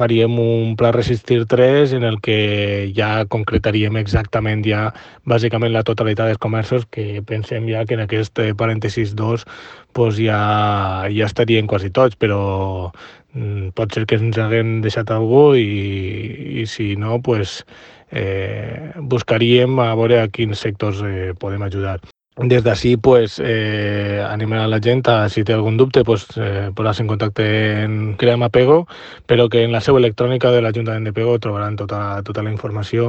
faríem un pla Resistir 3 en el que ja concretaríem exactament ja bàsicament la totalitat dels comerços, que pensem ja que en aquest parèntesis 2 pues ja estarien quasi tots, però pot ser que ens haguem deixat algú i si no, pues, buscaríem a veure a quins sectors podem ajudar. Des d'ací, pues, animar a la gent a, si té algun dubte, pues, posar-se en contacte en Crea'm a Pego, però que en la seu electrònica de l'Ajuntament de Pego trobaran tota la informació